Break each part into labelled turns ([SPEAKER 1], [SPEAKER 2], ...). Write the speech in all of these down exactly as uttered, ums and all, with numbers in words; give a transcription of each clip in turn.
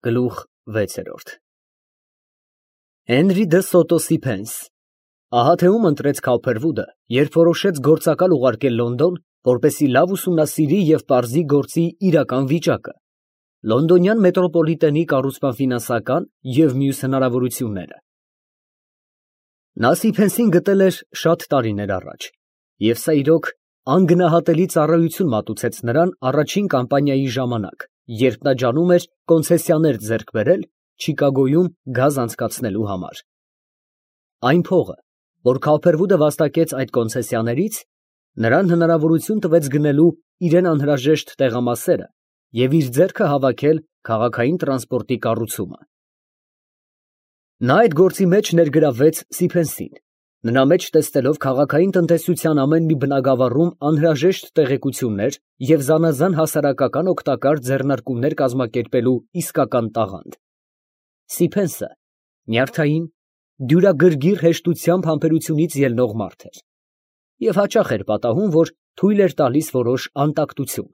[SPEAKER 1] Գլուխ վեցերորդ Հենրի դը Սոտո Սիփենս ահա թե ում ընտրեց Քավփերվուդը, երբ որոշեց գործակալ ուղարկել Լոնդոն, որպեսզի լավ ուսումնասիրի և պարզի գործի իրական վիճակը, լոնդոնյան մետրոպոլիտենի կառուցման ֆինանսական և մյուս հնարավորությունները։ Նա Սիփենսին գտել էր շատ տարիներ առաջ, և սա իրոք անգնահատելի ծառայություն մատուցեց նրան առաջին կամպանիայի ժամանակ, երբ նա ջանում էր կոնցեսիաներ ձեռք բերել Չիկագոյում գազ անցկացնելու համար։ Այն փողը, որ Քավփերվուդը վաստակեց այդ կոնցեսիաներից, նրան հնարավորություն տվեց գնելու իրան անհրաժեշտ տեղամասերը և իր ձեռքը հավաքել քաղաքային տրանսպորտի կառուցումը։ Նա այդ գործի մեջ ներգրավվեց Սիփենսին, նրա մեջ տեսնելով քաղաքային տնտեսության ամեն մի բնագավառում անհրաժեշտ տեղեկություններ և զանազան հասարակական օգտակար ձեռնարկումներ կազմակերպելու իսկական տաղանդ։ Սիփենսը նյարդային, դյուրագրգիռ հեշտությամբ համբերությունից ելնող մարդ էր և հաճախ էր պատահում, որ թույլ էր տալիս որոշ անտակտություն,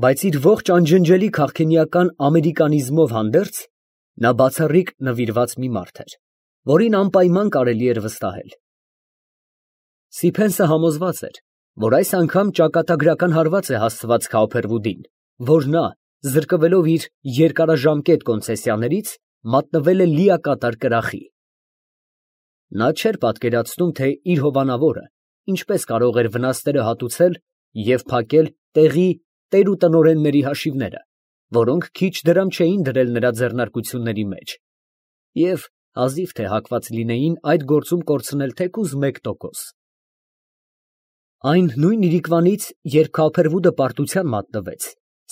[SPEAKER 1] բայց իր ողջ անջնջելի քաղքենիական ամերիկանիզմով հանդերձ, նա բացառիկ նվիրված մի մարդ էր, որին անպայման կարելի էր վստահել։ Սիփենսը համոզված էր, որ այս անգամ ճակատագրական հարված է հասցված Քավփերվուդին, որ նա, զրկվելով իր երկարաժամկետ կոնցեսիաներից, մատնվել է լիակատար կրախի։ Նա չէր պատկերացնում, թե իր հովանավորը ինչպես կարող էր վնասները հատուցել և փակել տեղի տեր ու տնօրենների հաշիվները, որոնք քիչ դրամ չէին դրել նրա ձեռնարկությունների մեջ, և հազիվ թե հակված լինեին այդ գործում կորցնել թեկուզ մեկ տոկոս։ Այն նույն իրիկվանից, երբ Քավփերվուդը պարտության մատնվեց,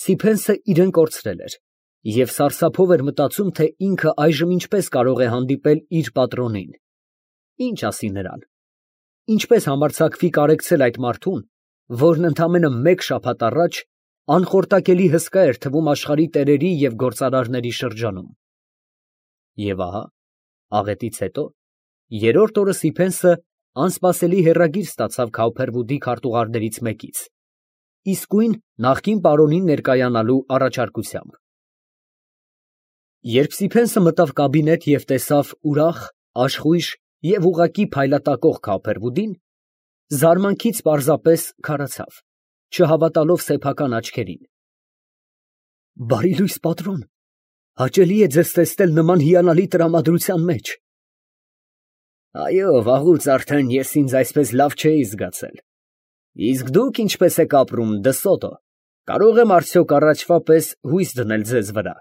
[SPEAKER 1] Սիփենսը իրեն կորցրել էր և սարսափով էր մտածում, թե ինքը այժմ ինչպես կարող է հանդիպել իր պատրոնին, ինչ ասի նրան, ինչպես համարձակվի կարեկցել այդ մարդուն, որն ընդամենը մեկ շաբաթ առաջ անխորտակելի հսկա էր թվում աշխարհի տերերի և գործարարների շրջանում։ Եվ ահա, աղետից հետո, երրորդ օրը Սիփենսը անսպասելի հեռագիր ստացավ Քավփերվուդի քարտուղարներից մեկից, իսկույն նախկին պարոնին ներկայանալու առաջարկությամբ։ Երբ Սիփենսը մտավ կաբինետ և տեսավ ուրախ, աշխույժ և ուղղակի փայլատակող Քավփերվուդին, զարմանքից պարզապես քարացավ, չհավատալով սեփական աչքերին։ Բարի լույս, պատրոն, հաճելի է ձեզ տեսնել նման հիանալի տրամադրության մեջ։ Այո, վաղուց արդեն ես ինձ այսպես լավ չէի զգացել։ Իսկ դուք ինչպես եք ապրում, դը Սոտո, կարող եմ արդյոք առաջվա պես հույս դնել ձեզ վրա։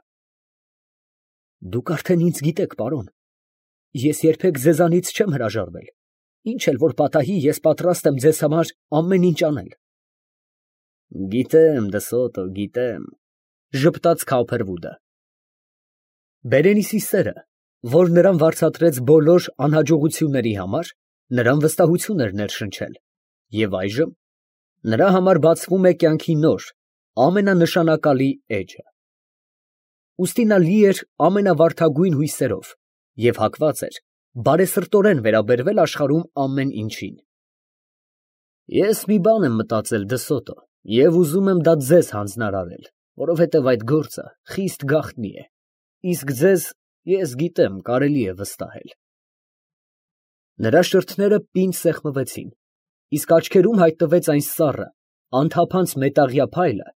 [SPEAKER 1] Դուք արդեն ինձ գիտեք, պարոն, ես երբեք ձեզանից չեմ հրաժարվել, ինչ էլ որ պատահի, ես պատրաստ եմ ձեզ համար ամեն ինչ անել։ Գիտեմ, դը Սոտո, գիտեմ, ժպտաց Քավփերվուդը։ Բերենիսի սերը, որ նրան վարձատրեց բոլոր անհաջողությունների համար, նրան վստահություն էր ներշնչել, և այժմ նրա համար բացվում է կյանքի նոր, ամենանշանակալի էջը։ Ուստի նա լի էր ամենավարդագույն հույսերով և հակված էր բարեսրտորեն վերաբերվել աշխարհում ամեն ինչին։ Ես մի բան եմ մտածել, դը Սոտո, և ուզում եմ դա ձեզ հանձնարարել, որովհետև այդ գործը խիստ գաղտնի է, իսկ ձեզ, ես գիտեմ, կարելի է վստահել։ Նրա շրթները պինդ սեղմվեցին, իսկ աչքերում հայտնվեց այն սառը, անթափանց մետաղյա փայլը,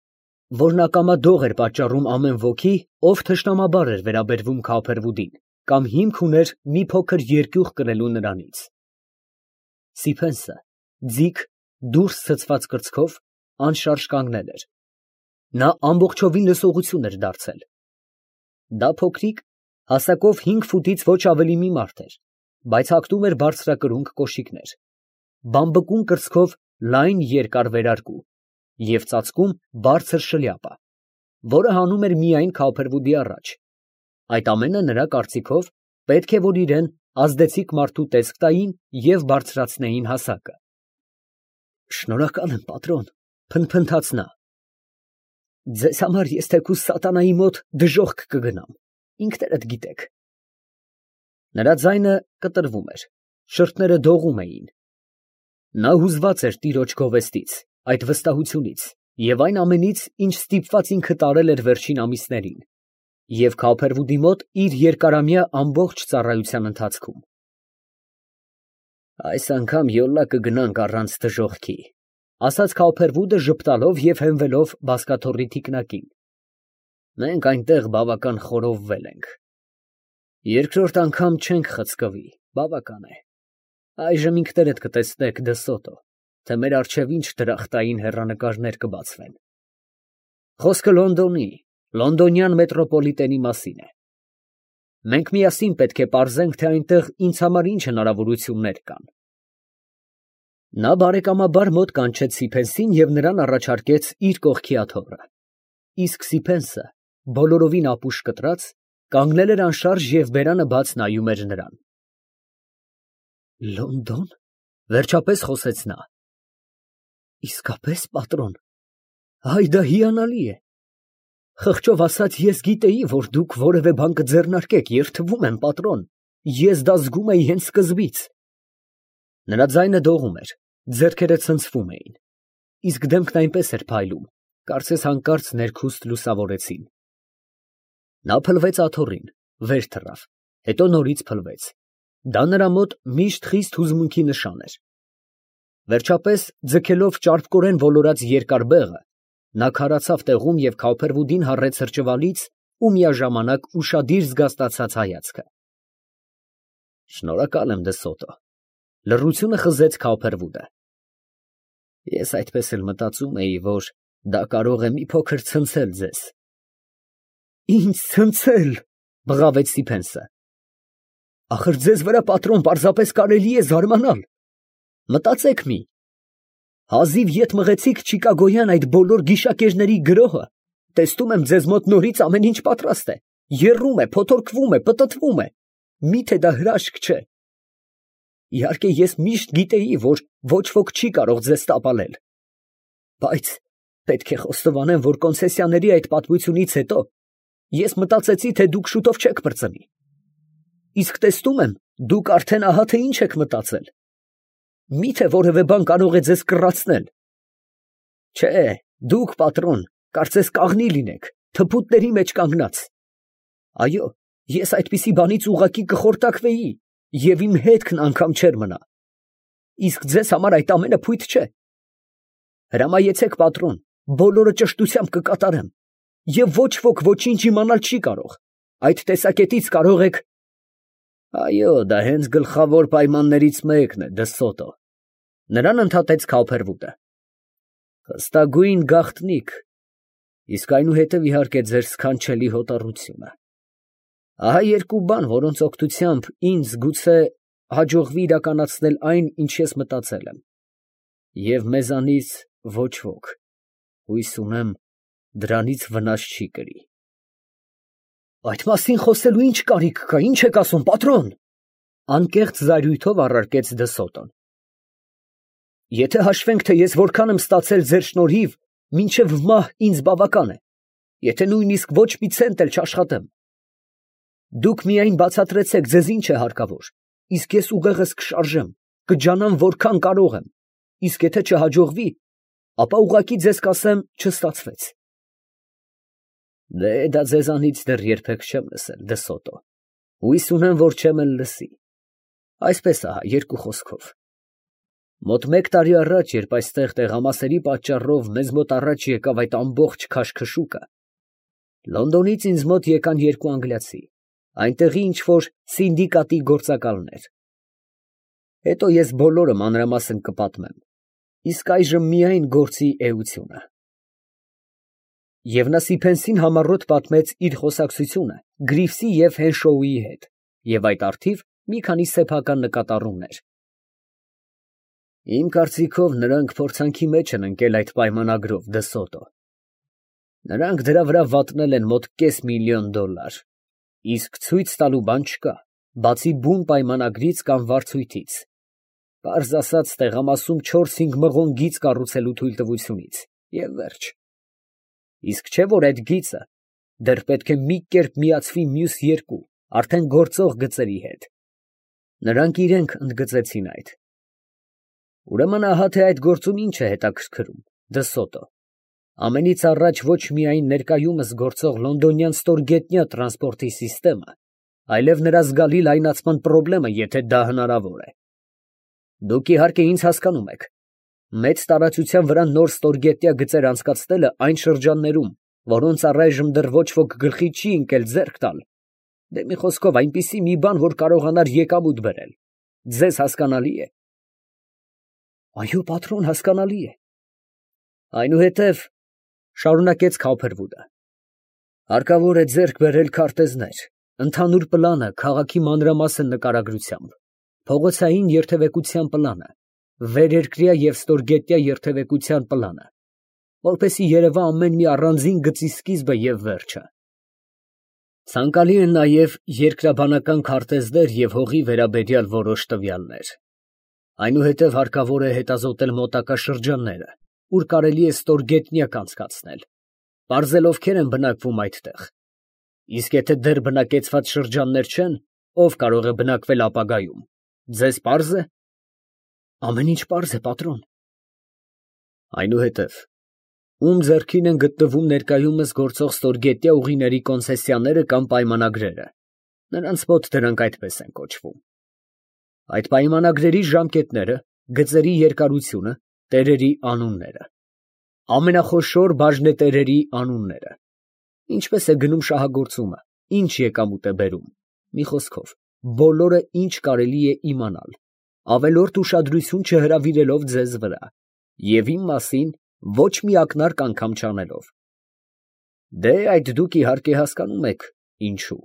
[SPEAKER 1] որն ակամա դող էր պատճառում ամեն ոքի, ով թշնամաբար էր վերաբերվում Քավփերվուդին կամ հիմք ուներ մի փոքր երկյուղ կրելու նրանից։ Սիփենսը, ձիգ, դուրս ցցված կրծքով, անշարժ կանգնել էր։ Նա ամբողջովին լսողություն էր դարձել։ Դա փոքրիկ, հասակով հինգ ֆուտից ոչ ավելի մի մարդ էր, բայց հագնում էր բարձրակրունկ կոշիկներ, բամբկուն կրծքով լայն երկար վերարկու և ծածկում բարձր շլյապա, որը հանում էր միայն Քավփերվուդի առաջ։ Այդ ամենը նրա կարծիքով պետք է որ իրան ազդեցիկ մարդու տեսք տային և բարձրացնեին հասակը։ Շնորհակալ եմ, պատրոն, փնթփնթաց նա։ Ձեզ համար ես թեկուզ սատանայի մոտ դժոխք կգնամ, ինքներդ գիտեք։ Նրա ձայնը կտրվում էր, շրթները դողում էին։ Նա հուզված էր տիրոջ գովեստից, այդ վստահությունից և այն ամենից, ինչ ստիպված ինքը տարել էր վերջին ամիսներին, և Քոփերվուդի մոտ իր երկարամյա ամբողջ ծառայության ընթացքում։ Այս անգամ յոլա կգնանք առանց դժոխքի, ասաց Քոփերվուդը ժպտալով և հենվելով բազկաթոռի թիկնակին։ Մենք այնտեղ բավական խորովվել ենք։ Երկրորդ անգամ չենք խցկվի, բավական է։ Այժմ ինքներդ կտեսնեք, Դը Սոտո, թե մեր առջև ինչ դրախտային հեռանկարներ կբացվեն։ Խոսքը Լոնդոնի, լոնդոնյան մետրոպոլիտենի մասին է։ Մենք միասին պետք է պարզենք, թե այնտեղ ինձ համար ինչ հնարավորություններ կան։ Նա բարեկամաբար մոտ կանչեց Սիփենսին և նրան առաջարկեց իր կողքի աթոռը, իսկ Սիփենսը, բոլորովին ապուշ կտրած, կանգնել էր անշարժ և բերանը բաց նայում էր նրան։ Լոնդո՞ն, վերջապես խոսեց նա։ Իսկապես, պատրոն, այ դա հիանալի է։ Խղճով ասած, ես գիտեի, որ դուք որևէ բան կձեռնարկեք, և թվում եմ, պատրոն, ես դա զգում էի հենց սկզբից։ Նրա ձայնը դողում էր, ձեռքերը ցնցվում էին, իսկ դեմքն այնպես էր փայլում, կարծես հանկարծ ներքուստ լուսավորեցին։ Նա փլվեց աթոռին, վեր թռավ, հետո նորից փլվեց։ Դա նրա մոտ միշտ խիստ հուզմունքի նշան էր։ Վերջապես, ձգելով ճարպկորեն ոլորած երկար բեղը, նա քարացավ տեղում և Քոփերվուդին հառեց հրճվալից ու միաժամանակ ուշադիր զգաստացած հայացքը։ Շնորհակալ եմ, Դը Սոտո, լռությունը խզեց Քոփերվուդը։ Ես այդպես էլ մտածում էի, որ դա կարող է մի փոքր ցնցել ձեզ։ Ինձ ցնցել, բղավեց Սիփենսը։ Ախր ձեզ վրա, պատրոն, պարզապես կարելի է զարմանալ։ Մտածեք մի։ Հազիվ ետ մղեցիք Չիկագոյան այդ բոլոր գիշակերների գրոհը, տեսնում եմ ձեզ մոտ նորից ամեն ինչ պատրաստ է, եռում է, փոթորկվում է, պտտվում է, միթե դա հրաշք չէ։ Իհարկե, ես միշտ գիտեի, որ ոչ ոք չի կարող ձեզ տապալել, բայց պետք է խոստովանեմ, որ կոնցեսիաների այդ պատմությունից հետո ես մտածեցի, թե դուք շուտով չեք պրծնի։ Իսկ տեսնում եմ, դուք արդեն ահա թե ինչ եք մտածել։ Միթե որևէ բան կարող է ձեզ կռացնել։ Չէ, դուք, պատրոն, կարծես կաղնի լինեք, թփուտների մեջ կանգնած։ Այո, ես այդպիսի բանից ուղղակի կխորտակվեի, և իմ հետքն անգամ չէր մնա։ Իսկ ձեզ համար այդ ամենը փույթ չէ։ Հրամայեցեք, պատրոն, բոլորը ճշտությամբ կկատարեմ, և ոչ ոք ոչինչ իմանալ չի կարող։ Այդ տեսակետից կարող եք… Այո, դա հենց գլխավոր պայմաններից մեկն է, Դը Սոտո, նրան ընդհատեց Քոփերվուդը։ Խստագույն գաղտնիք, իսկ այնուհետև իհարկե ձեր սքանչելի հոտառությունը։ Ահա երկու բան, որոնց օգնությամբ ինձ գուցե հաջողվի իրականացնել այն, ինչ ես մտածել եմ, և մեզանից ոչ ոք, հույս ունեմ, դրանից վնաս չի կրի։ Այդ մասին խոսելու ինչ կարիք կա, ինչ եք ասում, պատրոն, անկեղծ զայրույթով առարկեց Դը Սոտոն։ Եթե հաշվենք, թե ես որքան եմ ստացել ձեր շնորհիվ, մինչև մահ ինձ բավական է, եթե նույնիսկ ոչ մի ցենտ էլ չաշխատեմ։ Դուք միայն բացատրեցեք ձեզ ինչ է հարկավոր, իսկ ես ուղեղս կշարժեմ, կջանամ որքան կարող եմ, իսկ եթե չհաջողվի, ապա ուղղակի ձեզ կասեմ չստացվեց։ Դե դա ձեզանից դեռ երբեք չեմ լսել, Դը Սոտո, հույս ունեմ, որ չեմ էլ լսի։ Այսպես ահա, երկու խոսքով։ Մոտ մեկ տարի առաջ, երբ այստեղ տեղամասերի պատճառով մեզ մոտ առաջ եկավ այդ ամբողջ քաշքշուկը, Լոնդոնից ինձ մոտ եկան երկու անգլիացի, այնտեղի ինչ֊որ սինդիկատի գործակալներ։ Հետո ես բոլորը մանրամասն կպատմեմ, իսկ այժմ միայն գործի էությունը։ Եվ նա Սիփենսին համառոտ պատմեց իր խոսակցությունը Գրիվսի և Հենշոուի հետ, և այդ առթիվ մի քանի սեփական նկատառումներ։ Իմ կարծիքով, նրանք փորձանքի մեջ են ընկել այդ պայմանագրով, Դը Սոտո։ Նրանք դրա վրա վատնել են մոտ կես միլիոն դոլար, իսկ ցույց տալու բան չկա, բացի բուն պայմանագրից կամ վարձույթից, պարզ ասած, տեղամասում չորս֊հինգ մղոն գիծ կառուցելու թույլտվությունից, և վերջ։ Իսկ չէ՞ որ այդ գիծը դեռ պետք է մի կերպ միացվի մյուս երկու, արդեն գործող գծերի հետ։ Նրանք իրենք ընդգծեցին այդ։ Ուրեմն ահա թե այդ գործում ինչ է հետաքրքրում, Դը Սոտո։ Ամենից առաջ ոչ միայն ներկայումս գործող լոնդոնյան ստորգետնյա տրանսպորտի սիստեմը, այլև նրա զգալի լայնացման պրոբլեմը, եթե դա հնարավոր է։ Դուք իհարկե ինձ հասկանում եք. մեծ տարածության վրա նոր ստորգետնյա գծեր անցկացնելը այն շրջաններում, որոնց առայժմ դեռ ոչ ոք գլխի չի ընկել ձեռք տալ, դե մի խոսքով այնպիսի մի բան, որ կարողանար եկամուտ բերել, ձեզ հասկանալի է։ Այո, պատրոն, հասկանալի է։ Այնուհետև, շարունակեց Քոփերվուդը, հարկավոր է ձեռք բերել քարտեզներ, ընդհանուր պլանը քաղաքի մանրամասն նկարագրությամբ, փողոցային երթևեկության պլանը, վերերկրյա և ստորգետնյա երթևեկության պլանը, որպեսզի երևա ամեն մի առանձին գծի սկիզբը և վերջը։ Ցանկալի են նաև երկրաբանական քարտեզներ և հողի վերաբերյալ որոշ տվյալներ։ Այնուհետև հարկավոր է հետազոտել մոտակա շրջանները, ուր կարելի է ստորգետնյակ անցկացնել, պարզել ովքեր են բնակվում այդտեղ, իսկ եթե դեռ բնակեցված շրջաններ չեն, ով կարող է բնակվել ապագայում, ձեզ պարզ է։ Ամեն ինչ պարզ է, պատրոն։ Այնուհետև, ում ձեռքին են գտնվում ներկայումս գործող ստորգետնյա ուղիների կոնցեսիաները կամ պայմանագրերը, նրանց մոտ դրանք այդպես են կոչվում։ Այդ պայմանագրերի ժամկետները, գծերի երկարությունը, տերերի անունները, ամենախոշոր բաժնետերերի անունները, ինչպես է գնում շահագործումը, ինչ եկամուտ է բերում, մի խոսքով, բոլորը ինչ կարելի է իմանալ, ավելորդ ուշադրություն չհրավիրելով ձեզ վրա, և իմ մասին ոչ մի ակնարկ անգամ չանելով։ Դե այդ դուք իհարկե հասկանում եք ինչու։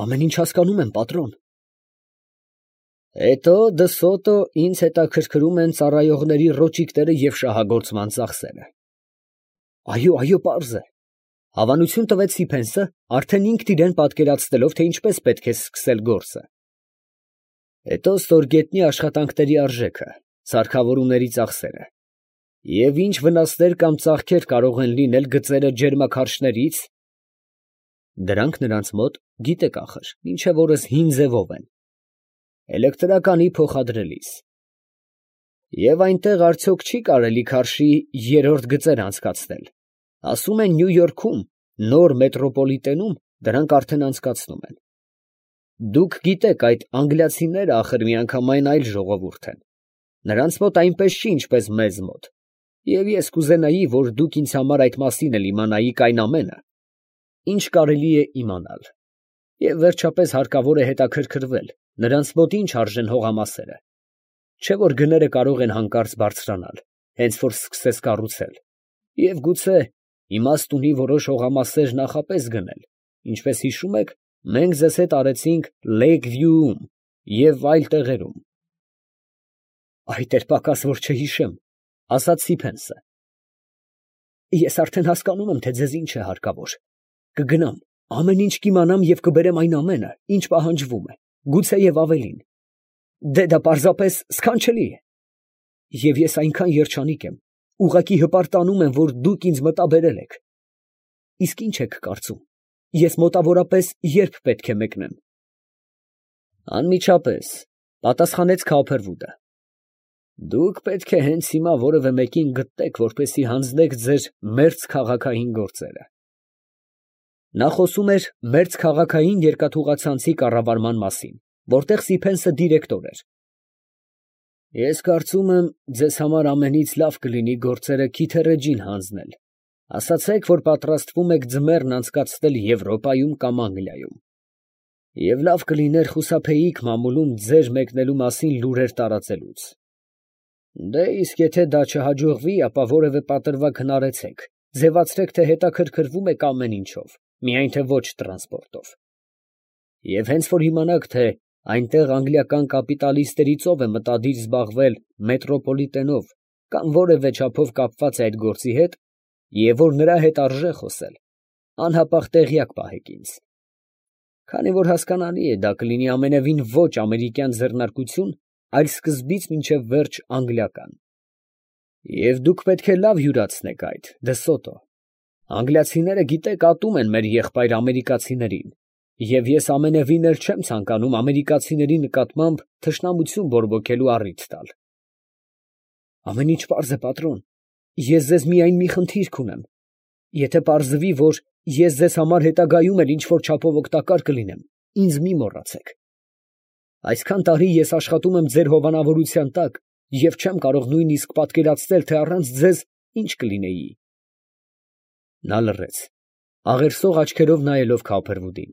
[SPEAKER 1] Ամեն ինչ հասկանում եմ, պատրոն։ Հետո դսոտո ինձ հետաքրքրում են ծառայողների ռոճիկները և շահագործման ծախսերը։ Այո, այո, պարզ է։ Հավանություն տվեց Սիփենսը, արդեն ինքն իրան պատկերացնելով, թե ինչպես պետք է սկսել գործը։ Հետո ստորգետնյա աշխատանքների արժեքը, սարքավորումների ծախսերը, և ինչ վնասներ կամ ծախքեր կարող են լինել գծերը ջերմաքարշներից, դրանք նրանց մոտ, գիտեք ախր, մինչև օրս հին ձևով են, էլեկտրականի փոխադրելիս։ Եվ այնտեղ արդյոք չի կարելի քարշի երրորդ գծեր անցկացնել, ասում են Նյու Յորքում, նոր մետրոպոլիտենում դրանք արդեն անցկացնում են։ Դուք գիտեք, այդ անգլիացիները ախր միանգամայն այլ ժողովուրդ են, նրանց մոտ այնպես չի, ինչպես մեզ մոտ, և ես կուզենայի, որ դուք ինձ համար այդ մասին էլ իմանայիք այն ամենը, ինչ կարելի է իմանալ, և վերջապես հարկավոր է հետաքրքրվել, նրանց մոտ ինչ արժեն հողամասերը, չէ որ գները կարող են հանկարծ բարձրանալ, հենց որ սկսես կառուցել, և գուցե իմաստ ունի որոշ հողամասեր նախապես գնել, ինչպես հիշում եք, մենք ձեզ հետ արեցինք Լեյք Վյուում և այլ տեղերում։ Այդ էր պակաս, որ չհիշեմ, ասաց Սիփենսը։ Ես արդեն հասկանում եմ, թե ձեզ ինչ է հարկավոր, կգնամ, ամեն ինչ կիմանամ և կբերեմ այն ամենը, ինչ պահանջվում է, գուցե և ավելին։ Դե դա պարզապես սքանչելի է։ Եվ ես այնքան երջանիկ եմ, ուղղակի հպարտանում եմ, որ դուք ինձ մտաբերել եք։ Իսկ ինչ եք կարծում, ես մոտավորապես երբ պետք է մեկնեմ։ Անմիջապես, պատասխանեց Քոփերվուդը։ Դուք պետք է հենց հիմա որևէ մեկին գտնեք, որպեսզի հանձնեք ձեր մերձ քաղաքային գործերը։ Նա խոսում էր մերձ քաղաքային երկաթուղացանցի կառավարման մասին, որտեղ Սիփենսը դիրեկտոր էր։ Ես կարծում եմ, ձեզ համար ամենից լավ կլինի գործերը Քիթերեջին հանձնել, ասացեք, որ պատրաստվում եք ձմեռն անցկացնել Եվրոպայում կամ Անգլիայում, և լավ կլիներ խուսափեիք մամուլում ձեր մեկնելու մասին լուրեր տարածելուց։ Դե իսկ եթե դա չհաջողվի, ապա որևէ պատրվակ հնարեցեք, ձևացրեք, թե հետաքրքրվում եք ամեն ինչով, միայն թե ոչ տրանսպորտով։ Եվ հենց որ իմանաք, թե այնտեղ անգլիական կապիտալիստերից ով է մտադիր զբաղվել մետրոպոլիտենով կամ որևէ չափով կապված է այդ գործի հետ, և որ նրա հետ արժե խոսել, անհապաղ տեղյակ պահեք ինձ։ Քանի որ հասկանալի է, դա կլինի ամենևին ոչ ամերիկյան ձեռնարկություն, այլ սկզբից մինչև վերջ անգլիական։ Եվ դուք պետք է լավ յուրացնեք այդ, դսոտո։ Անգլիացիները գիտեք ատում են մեր եղբայր ամերիկացիներին, և ես ամենևին էլ չեմ ցանկանում ամերիկացիների նկատմամբ թշնամություն բորբոքելու առիթ տալ։ Ամեն ինչ պարզ է, պատրոն, ես ձեզ միայն մի խնդիր կունեմ. եթե պարզվի, որ ես ձեզ համար հետագայում էլ ինչ որ չափով օգտակար կլինեմ, ինձ մի մոռացեք. այսքան տարի ես աշխատում եմ ձեր հովանավորության տակ և չեմ կարող նույնիսկ պատկերացնել, թե առանց ձեզ ինչ կլինեի։ Նա լռեց, աղերսող աչքերով նայելով Քափրվուդին,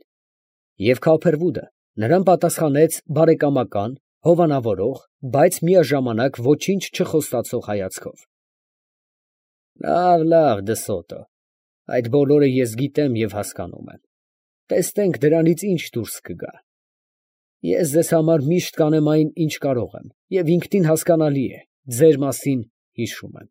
[SPEAKER 1] և Քափրվուդը նրան պատասխանեց բարեկամական, հովանավորող, բայց միաժամանակ ոչինչ չխոստացող հայացքով։ Լավ, լավ, Դսոտո, այդ բոլորը ես գիտեմ և հասկանում եմ, տեսնենք դրանից ինչ դուրս կգա։ Ես ձեզ համար միշտ կանեմ այն, ինչ կարող եմ, և ինքնին հասկանալի է, ձեր մասին հիշում եմ։